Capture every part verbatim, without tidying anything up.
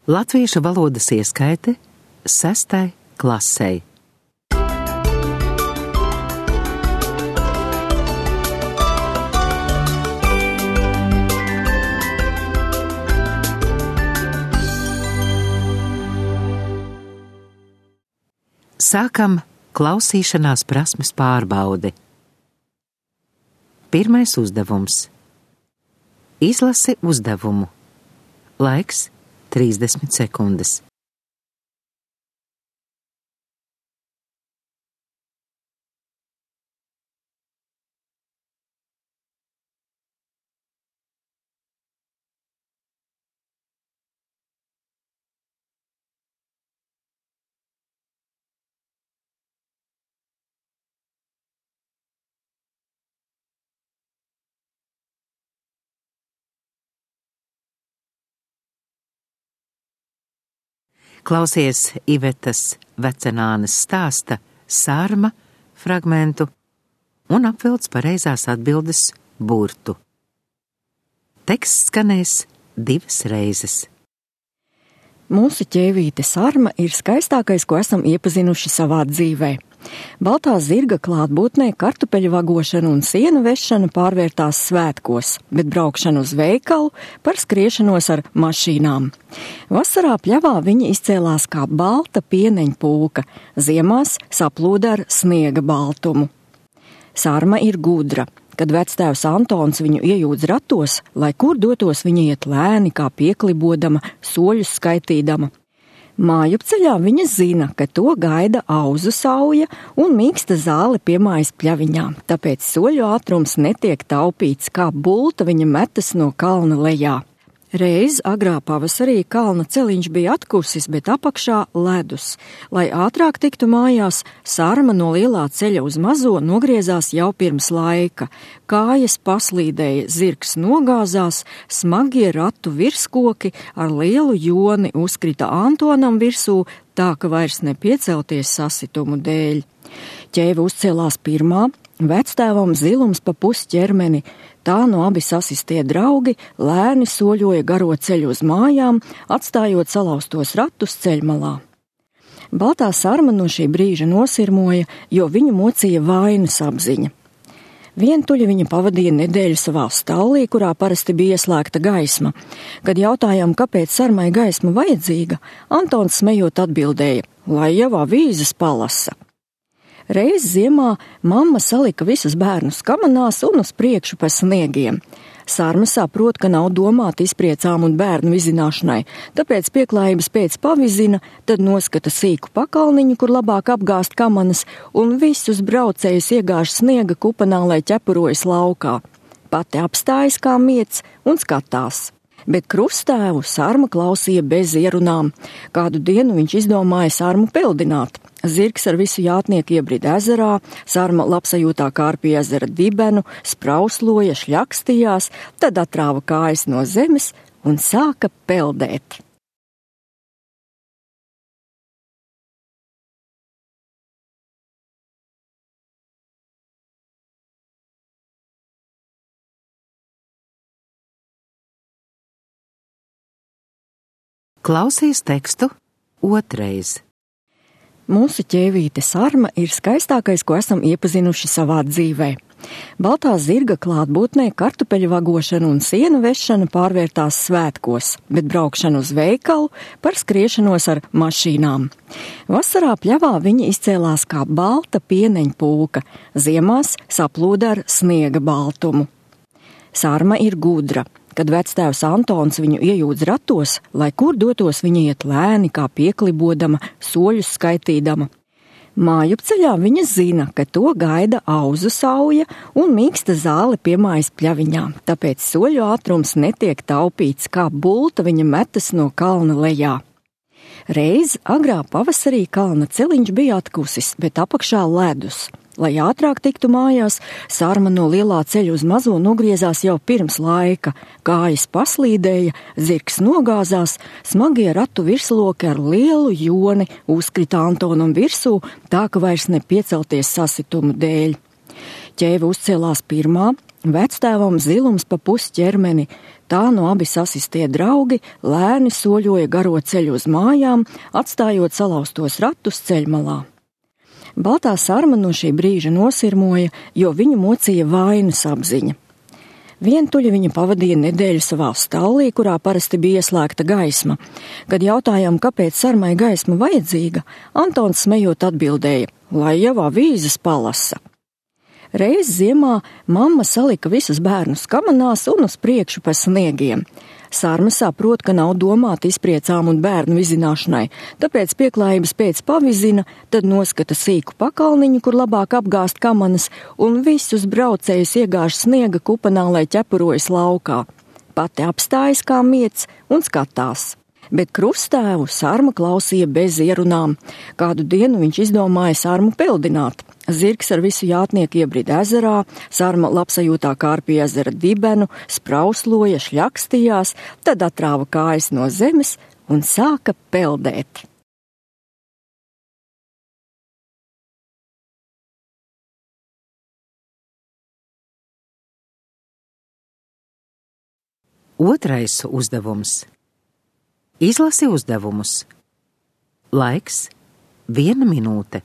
Latviešu valodas ieskaite sestai klasei. Sākam klausīšanās prasmes pārbaudi. Pirmais uzdevums. Izlasi uzdevumu. Laiks trīsdesmit sekundes. Klausies Ivetas Vecenānes stāsta Sarma fragmentu un apvilc pareizās atbildes burtu. Teksts skanēs divas reizes. Mūsu ķēvīte Sarma ir skaistākais, ko esam iepazinuši savā dzīvē. Baltā zirga klātbūtnē kartupeļu vagošana un sienu vešana pārvērtās svētkos, bet braukšana uz veikalu par skriešanos ar mašīnām. Vasarā pļavā viņa izcēlās kā balta pieneņpūka, ziemās saplūda ar sniega baltumu. Sarma ir gudra. Kad vectēvs Antons viņu iejūdz ratos, lai kur dotos viņa iet lēni, kā pieklibodama, soļus skaitīdama. Mājupceļā viņa zina, ka to gaida auzu sauja un mīksta zāle pie mājas pļaviņā, tāpēc soļu ātrums netiek taupīts, kā bulta viņa metas no kalna lejā. Reiz agrā pavasarī kalna celiņš bija atkusis, bet apakšā ledus. Lai ātrāk tiktu mājās, Sarma no lielā ceļa uz mazo nogriezās jau pirms laika. Kājas paslīdēja, zirgs nogāzās, smagie ratu virskoki ar lielu joni uzkrita Antonam virsū, tā ka vairs nepiecelties sasitumu dēļ. Ķēve uzcēlās pirmā, vectēvam zilums pa pusķermeni. Tā no abi sasistie draugi lēni soļoja garo ceļu uz mājām, atstājot salauztos ratus ceļmalā. Baltā Sarma no šī brīža nosirmoja, jo viņu mocīja vainas apziņa. Vientuļi viņa pavadīja nedēļu savā stallī, kurā parasti bija ieslēgta gaisma. Kad jautājām, kāpēc Sarmai gaisma vajadzīga, Antons smejot atbildēja, lai jau avīzes palasa. Reiz ziemā mamma salika visus bērnus kamanās un uz priekšu pa sniegiem. Sarma saprot, ka nav domāta izpriecām un bērnu vizināšanai, tāpēc pieklājības pēc pavizina, tad noskata sīku pakalniņu, kur labāk apgāst kamanas, un visus braucējus iegāž sniega kupanā, lai ķepurojas laukā. Pati apstājas kā miets un skatās. Bet krustēvu Sarma klausīja bez ierunām. Kādu dienu viņš izdomāja Sarmu peldināt. Zirgs ar visu jātnieku iebrida ezerā, Sarma labsajūtā kārpīja ezera dibenu, sprausloja, šļakstījās, tad atrāva kājas no zemes un sāka peldēt. Klausies tekstu otrais. Mūsu ķēvīte Sarma ir skaistākais, ko esam iepazinuši savā dzīvē. Baltā zirga klātbūtnē kartupeļu vagošana un sienu vešana pārvērtās svētkos, bet braukšana uz veikalu par skriešanos ar mašīnām. Vasarā pļavā viņa izcēlās kā balta pieneņpūka, ziemās saplūda ar sniega baltumu. Sarma ir gudra. Kad vectēvs Antons viņu iejūdz ratos, lai kur dotos viņa iet lēni, kā pieklibodama, soļus skaitīdama. Mājupceļā viņa zina, ka to gaida auzu sauja un mīksta zāle pie mājas pļaviņā, tāpēc soļu ātrums netiek taupīts, kā bulta viņa metas no kalna lejā. Reiz agrā pavasarī kalna celiņš bija atkusis, bet apakšā ledus. Lai ātrāk tiktu mājās, Sarma no lielā ceļa uz mazo nogriezās jau pirms laika. Kājas paslīdēja, zirgs nogāzās, smagie ratu virsloki ar lielu joni uzkrita Antonam virsū, tā ka vairs nepiecelties sasitumu dēļ. Ķēve uzcēlās pirmā, vectēvam zilums pa pusķermeni. Tā no abi sasistie draugi lēni soļoja garo ceļu uz mājām, atstājot salauztos ratus ceļmalā. Baltā sarma no šī brīža nosirmoja, jo viņu mocīja vainas apziņa. Vientuļi viņa pavadīja nedēļu savā stallī, kurā parasti bija ieslēgta gaisma. Kad jautājām, kāpēc sarmai gaisma vajadzīga, Antons smejot atbildēja, lai jau avīzes palasa. Reiz ziemā mamma salika visus bērnus kamanās un uz priekšu pa sniegiem. Sarma saprot, ka nav domāta izpriecām un bērnu vizināšanai, tāpēc pieklājības pēc pavizina, tad noskata sīku pakalniņu, kur labāk apgāst kamanas, un visus braucējus iegāž sniega kupanā, lai ķepurojas laukā. Pati apstājas kā miets un skatās. Bet krustēvu Sarma klausīja bez ierunām. Kādu dienu viņš izdomāja Sarmu peldināt. Zirgs ar visu jātnieku iebrida ezerā, Sarma labsajūtā kārpīja ezera dibenu, sprausloja, šļakstījās, tad atrāva kājas no zemes un sāka peldēt. Otrais uzdevums. Izlasi uzdevumus. Laiks – viena minūte.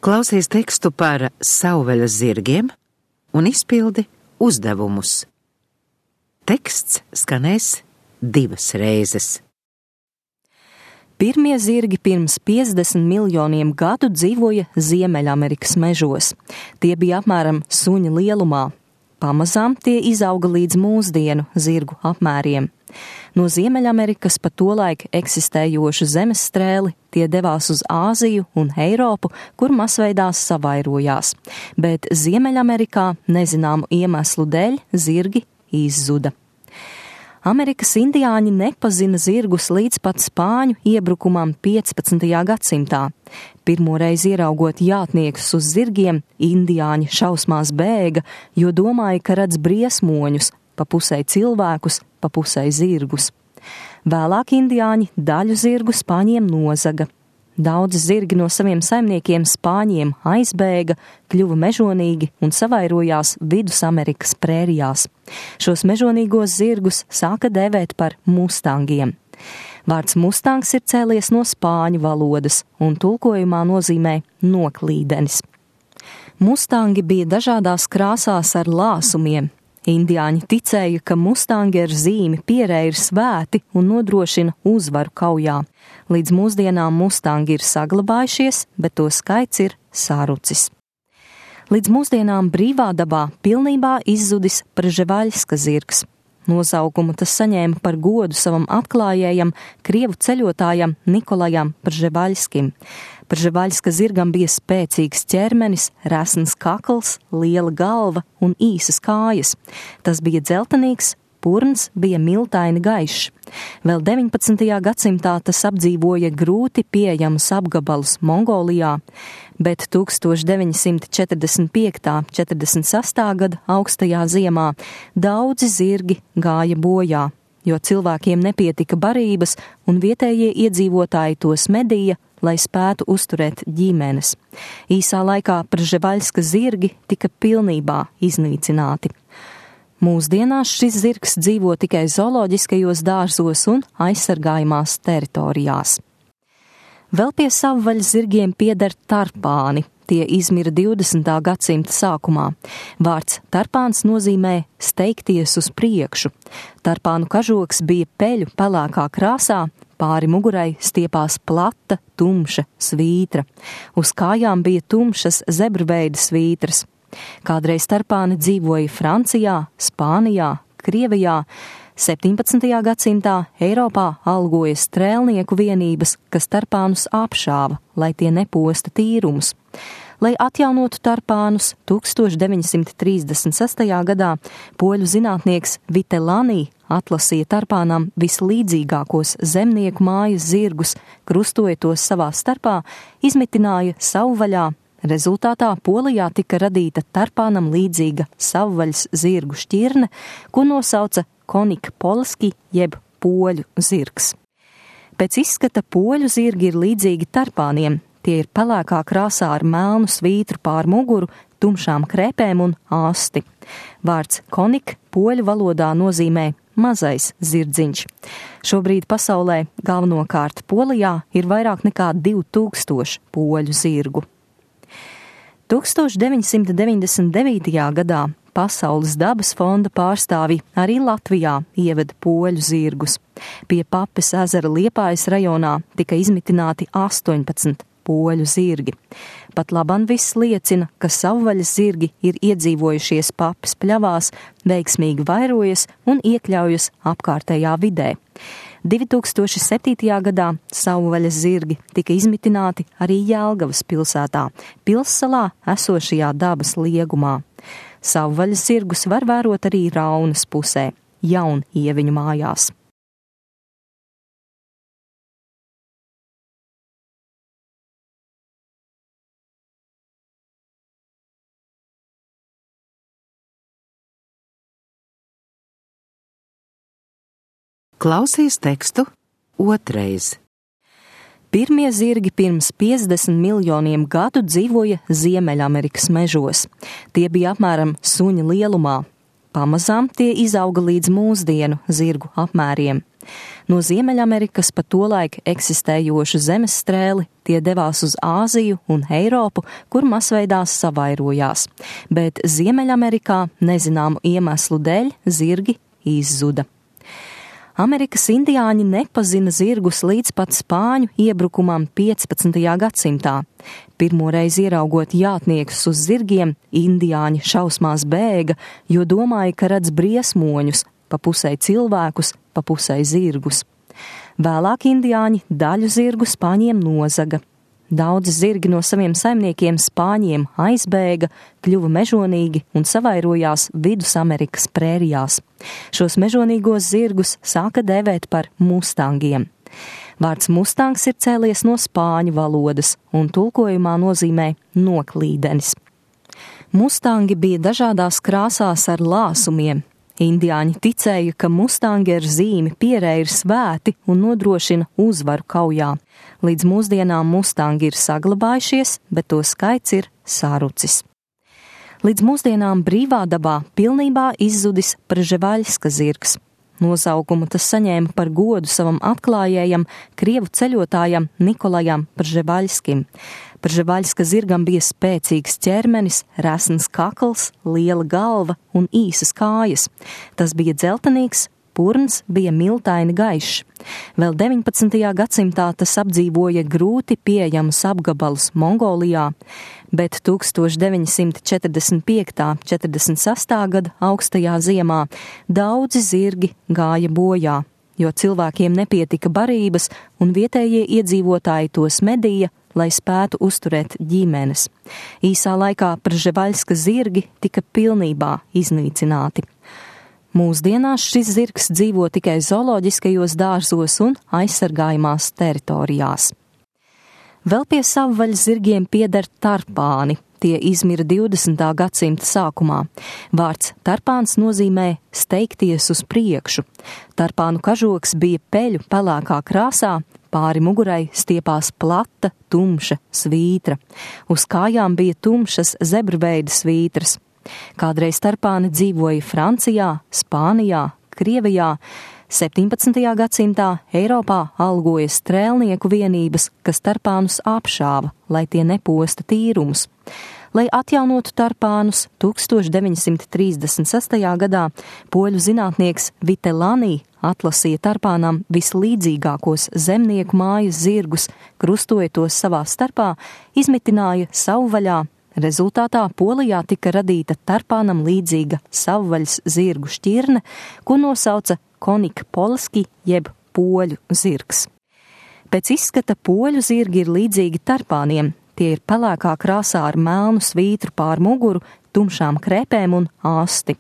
Klausies tekstu par savvaļas zirgiem un izpildi uzdevumus. Teksts skanēs divas reizes. Pirmie zirgi pirms piecdesmit miljoniem gadu dzīvoja Ziemeļamerikas mežos. Tie bija apmēram suņa lielumā. Pamazām tie izauga līdz mūsdienu zirgu apmēriem. No Ziemeļamerikas pa tolaik eksistējošu zemestrēli tie devās uz Āziju un Eiropu, kur masveidā savairojās, bet Ziemeļamerikā nezināmu iemeslu dēļ zirgi izzuda. Amerikas indiāņi nepazina zirgus līdz pat spāņu iebrukumam piecpadsmitajā gadsimtā. Pirmoreiz ieraugot jātniekus uz zirgiem, indiāņi šausmās bēga, jo domāja, ka redz briesmoņus, pa pusei cilvēkus, pa pusei zirgus. Vēlāk indiāņi daļu zirgu spāņiem nozaga. Daudzi zirgi no saviem saimniekiem spāņiem aizbēga, kļuva mežonīgi un savairojās Vidusamerikas prērijās. Šos mežonīgos zirgus sāka dēvēt par mustangiem. Vārds mustangs ir cēlies no spāņu valodas un tulkojumā nozīmē noklīdenis. Mustangi bija dažādās krāsās ar lāsumiem. Indiāņi ticēja, ka mustangi ar zīmi pierē ir svēti un nodrošina uzvaru kaujā. Līdz mūsdienām mustangi ir saglabājušies, bet to skaits ir sarucis. Līdz mūsdienām brīvā dabā pilnībā izzudis Prževaļska zirgs. Nosaukumu tas saņēma par godu savam atklājējam, krievu ceļotājam Nikolajam Prževaļskim. Prževaļska zirgam bija spēcīgs ķermenis, resns kakls, liela galva un īsas kājas. Tas bija dzeltenīgs, purns bija miltaini gaišs. Vēl deviņpadsmitajā gadsimtā tas apdzīvoja grūti pieejamus apgabalus Mongolijā, bet deviņdesmit četrdesmit četrdesmit sestā gada augstajā ziemā daudzi zirgi gāja bojā, jo cilvēkiem nepietika barības un vietējie iedzīvotāji tos medīja, lai spētu uzturēt ģimenes. Īsā laikā Prževaļska zirgi tika pilnībā iznīcināti. Mūsdienās šis zirgs dzīvo tikai zooloģiskajos dārzos un aizsargājumās teritorijās. Vēl pie savvaļas zirgiem pieder tarpāni. tie izmira divdesmitā gadsimta sākumā. Vārds tarpāns nozīmē steigties uz priekšu. Tarpānu kažoks bija peļu pelēkā krāsā, pāri mugurai stiepās plata, tumša svītra. Uz kājām bija tumšas zebrveida svītras. Kādreiz tarpāni dzīvoja Francijā, Spānijā, Krievijā. septiņpadsmitajā gadsimtā Eiropā algoja strēlnieku vienības, kas tarpānus apšāva, lai tie neposta tīrumus. Lai atjaunotu tarpānus, tūkstoš deviņsimt trīsdesmit sestajā gadā poļu zinātnieks Vitelani atlasīja tarpānām vislīdzīgākos zemnieku mājas zirgus, krustoja tos savā starpā, izmitināja savvaļā. Rezultātā Polijā tika radīta tarpānam līdzīga savvaļas zirgu šķirne, ko nosauca konika polski jeb poļu zirgs. Pēc izskata poļu zirgi ir līdzīgi tarpāniem. Tie ir pelēkā krāsā ar melnu svītru pār muguru, tumšām krēpēm un asti. Vārds konik poļu valodā nozīmē mazais zirdziņš. Šobrīd pasaulē, galvenokārt Polijā, ir vairāk nekā divi tūkstoši poļu zirgu. tūkstoš deviņsimt deviņdesmit devītajā gadā Pasaules dabas fonda pārstāvi arī Latvijā ieveda poļu zirgus. Pie Papes ezera Liepājas rajonā tika izmitināti astoņpadsmit poļu zirgi. Pat laban viss liecina, ka savvaļas zirgi ir iedzīvojušies Papes pļavās, veiksmīgi vairojas un iekļaujas apkārtējā vidē. divi tūkstoši septītajā gadā savvaļas zirgi tika izmitināti arī Jelgavas pilsētā, pilssalā esošajā dabas liegumā. Savvaļas zirgus var vērot arī Raunas pusē, Jaunieviņu mājās. Klausies tekstu otrais. Pirmie zirgi pirms piecdesmit miljoniem gadu dzīvoja Ziemeļamerikas mežos. Tie bija apmēram suņa lielumā. Pamazām tie izauga līdz mūsdienu zirgu apmēriem. No Ziemeļamerikas pa tolaik eksistējošu zemesstrēli tie devās uz Āziju un Eiropu, kur masveidā savairojās. Bet Ziemeļamerikā nezināmu iemeslu dēļ zirgi izzuda. Amerikas indiāņi nepazina zirgus līdz pat spāņu iebrukumam piecpadsmitajā gadsimtā. Pirmoreiz ieraugot jātniekus uz zirgiem, indiāņi šausmās bēga, jo domāja, ka redz briesmoņus, pa pusē cilvēkus, pa pusē zirgus. Vēlāk indiāņi daļu zirgu spāņiem nozaga. Daudzi zirgi no saviem saimniekiem spāņiem aizbēga, kļuva mežonīgi un savairojās Vidusamerikas prērijās. Šos mežonīgos zirgus sāka dēvēt par mustangiem. Vārds mustangs ir cēlies no spāņu valodas un tulkojumā nozīmē noklīdenis. Mustangi bija dažādās krāsās ar lāsumiem. Indiāņi ticēja, ka mustangi ar zīmi pierē ir svēti un nodrošina uzvaru kaujā. Līdz mūsdienām mustangi ir saglabājušies, bet to skaits ir sarucis. Līdz mūsdienām brīvā dabā pilnībā izzudis Prževaļska zirgs. Nosaukumu tas saņēma par godu savam atklājējam, krievu ceļotājam Nikolajam Prževaļskim. Prževaļska zirgam bija spēcīgs ķermenis, resns kakls, liela galva un īsas kājas. Tas bija dzeltenīgs, purns bija miltaini gaišs. Vēl deviņpadsmitajā gadsimtā tas apdzīvoja grūti pieejamus apgabalus Mongolijā, bet tūkstoš deviņsimt četrdesmit piektajā un četrdesmit sestajā gada augstajā ziemā daudzi zirgi gāja bojā, jo cilvēkiem nepietika barības un vietējie iedzīvotāji tos medīja, lai spētu uzturēt ģimenes. Īsā laikā Prževaļska zirgi tika pilnībā iznīcināti. Mūsdienās šis zirgs dzīvo tikai zooloģiskajos dārzos un aizsargājumās teritorijās. Vēl pie savvaļas zirgiem pieder tarpāni. Tie izmira divdesmitā gadsimta sākumā. Vārds tarpāns nozīmē steigties uz priekšu. Tarpānu kažoks bija peļu pelēkā krāsā, pāri mugurai stiepās plata, tumša svītra. Uz kājām bija tumšas zebrveida svītras. Kādreiz tarpāni dzīvoja Francijā, Spānijā, Krievijā. septiņpadsmitajā gadsimtā Eiropā algoja strēlnieku vienības, kas tarpānus apšāva, lai tie neposta tīrumus. Lai atjaunotu tarpānus, tūkstoš deviņi simti trīsdesmit sestajā gadā poļu zinātnieks Vitelani atlasīja tarpānām vislīdzīgākos zemnieku mājas zirgus, krustoja tos savā starpā, izmitināja savvaļā. Rezultātā Polijā tika radīta tarpānam līdzīga savvaļas zirgu šķirne, ko nosauca konik polski jeb poļu zirgs. Pēc izskata poļu zirgi ir līdzīgi tarpāniem. Tie ir pelēkā krāsā ar melnu svītru pār muguru, tumšām krēpēm un asti.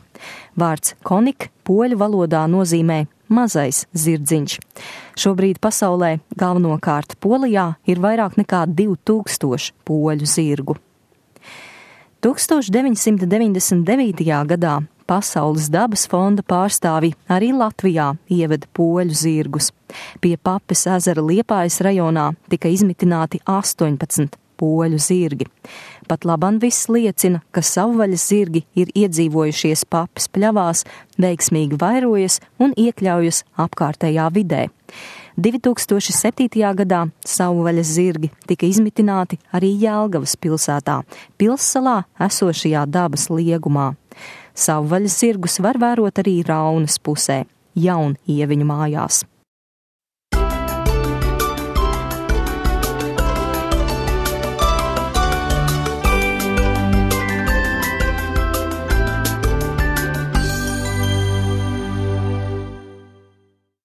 Vārds konik poļu valodā nozīmē mazais zirdziņš. Šobrīd pasaulē, galvenokārt Polijā, ir vairāk nekā divi tūkstoši poļu zirgu. tūkstoš deviņi simti deviņdesmit devītajā gadā Pasaules dabas fonda pārstāvi arī Latvijā ieveda poļu zirgus. Pie Papes ezera Liepājas rajonā tika izmitināti astoņpadsmit poļu zirgi. Pat laban viss liecina, ka savvaļas zirgi ir iedzīvojušies Papes pļavās, veiksmīgi vairojas un iekļaujas apkārtējā vidē. divi tūkstoši septītajā gadā savvaļas zirgi tika izmitināti arī Jelgavas pilsētā, pilssalā esošajā dabas liegumā. Savvaļas zirgus var vērot arī Raunas pusē, Jaunieviņu mājās.